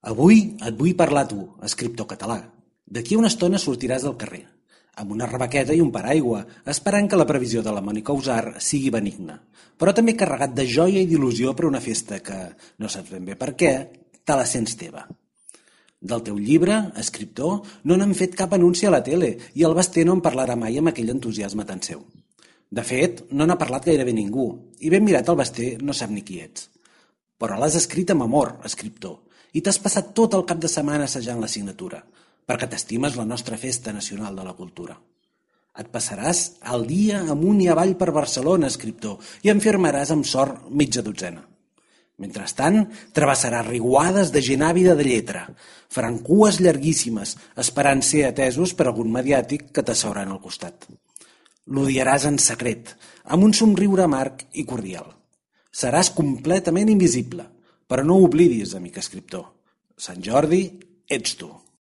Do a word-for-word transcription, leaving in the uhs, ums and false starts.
Avui et vull parlar a tu, escriptor català. D'aquí a una estona sortiràs del carrer, amb una rebequeta i un paraigua, esperant que la previsió de la Mònica Usar sigui benigna, però també carregat de joia i d'il·lusió per una festa que, no saps ben bé per què, te la sents teva. Del teu llibre, escriptor, no n'han fet cap anunci a la tele i el Basté no en parlarà mai amb aquell entusiasme tan seu. De fet, no n'ha parlat gairebé ningú, i ben mirat el Basté no sap ni qui ets. Però l'has escrit amb amor, escriptor, i t'has passat tot el cap de setmana assajant la signatura, perquè t'estimes la nostra festa nacional de la cultura. Et passaràs el dia amunt i avall per Barcelona, escriptor, i en firmaràs amb sort mitja dotzena. Mentrestant, travessaràs riuades de gent àvida de lletra, faran cues llarguíssimes, esperant ser atesos per algun mediàtic que t'asseuran al costat. L'odiaràs en secret, amb un somriure amarg i cordial. Seràs completament invisible, però no ho oblidis, amic escriptor. Sant Jordi, ets tu.